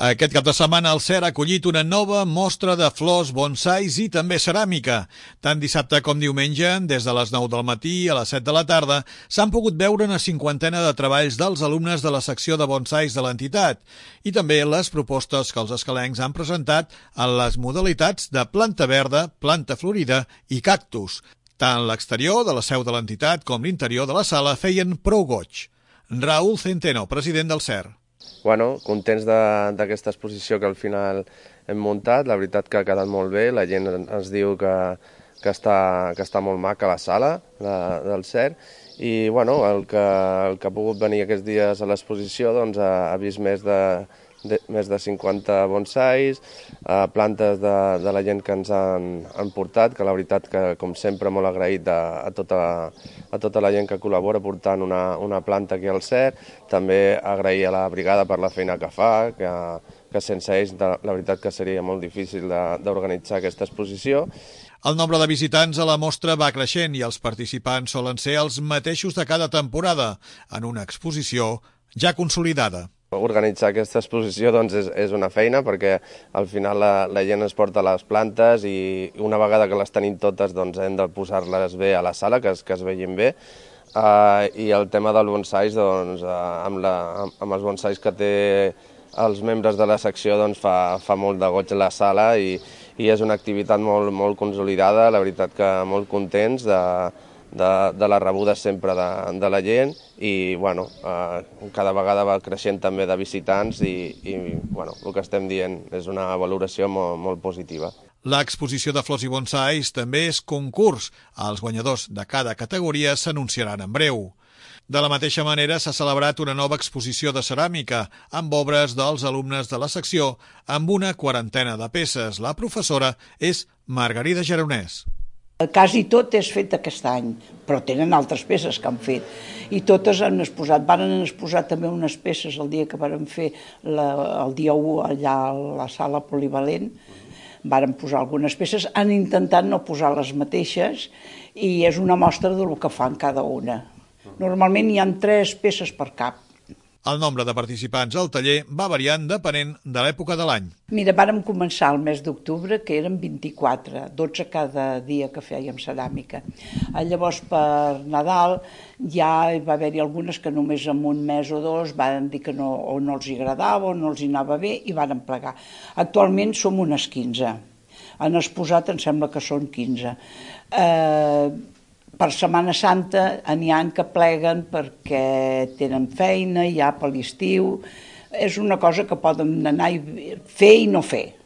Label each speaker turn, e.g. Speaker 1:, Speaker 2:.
Speaker 1: Aquest cap de setmana el CER ha acollit una nova mostra de flors, bonsais i també ceràmica. Tant dissabte com diumenge, des de les 9 del matí a les 7 de la tarda, s'han pogut veure una cinquantena de treballs dels alumnes de la secció de bonsais de l'entitat i també les propostes que els escalencs han presentat en les modalitats de planta verda, planta florida i cactus. Tant l'exterior de la seu de l'entitat com l'interior de la sala feien prou goig. Raúl Centeno, president del CER.
Speaker 2: Contents d'aquesta exposició que al final hem muntat. La veritat que ha quedat molt bé, la gent ens diu que està molt maca la sala del CER i el que ha pogut venir aquests dies a l'exposició ha vist més de 50 bonsais, plantes de la gent que ens han portat, que la veritat que, com sempre, molt agraït a tota la gent que col·labora portant una planta aquí al CER. També agrair a la brigada per la feina que fa, que sense ells la veritat que seria molt difícil d'organitzar aquesta exposició.
Speaker 1: El nombre de visitants a la mostra va creixent i els participants solen ser els mateixos de cada temporada, en una exposició ja consolidada.
Speaker 2: Organitzar aquesta exposició és una feina perquè al final la gent es porta les plantes i una vegada que les tenim totes hem de posar-les bé a la sala, que es vegin bé. I el tema dels bonsais, amb els bonsais que té els membres de la secció fa molt de goig la sala i és una activitat molt consolidada, la veritat que molt contents de la rebuda sempre de la gent i cada vegada va creixent també de visitants i el que estem dient és una valoració molt positiva.
Speaker 1: L'exposició de flors i bonsais també és concurs. Els guanyadors de cada categoria s'anunciaran en breu. De la mateixa manera s'ha celebrat una nova exposició de ceràmica amb obres dels alumnes de la secció amb una quarantena de peces. La professora és Margarida Geronès.
Speaker 3: Quasi tot és fet aquest any, però tenen altres peces que han fet. I totes han exposat. Van exposar també unes peces el dia que van fer el dia 1 allà a la sala polivalent. Van posar algunes peces. Han intentat no posar les mateixes i és una mostra del que fan cada una. Normalment hi ha 3 peces per cap.
Speaker 1: El nombre de participants al taller va variant depenent de l'època de l'any.
Speaker 3: Mira, vàrem començar el mes d'octubre, que eren 24, 12 cada dia que fèiem ceràmica. Llavors, per Nadal, ja va haver-hi algunes que només en un mes o 2 van dir que no els agradava o no els anava bé i van plegar. Actualment som unes 15. Han exposat, em sembla que són 15. Per Setmana Santa n'hi ha que pleguen perquè tenen feina ja per l'estiu. És una cosa que poden anar a fer i no fer.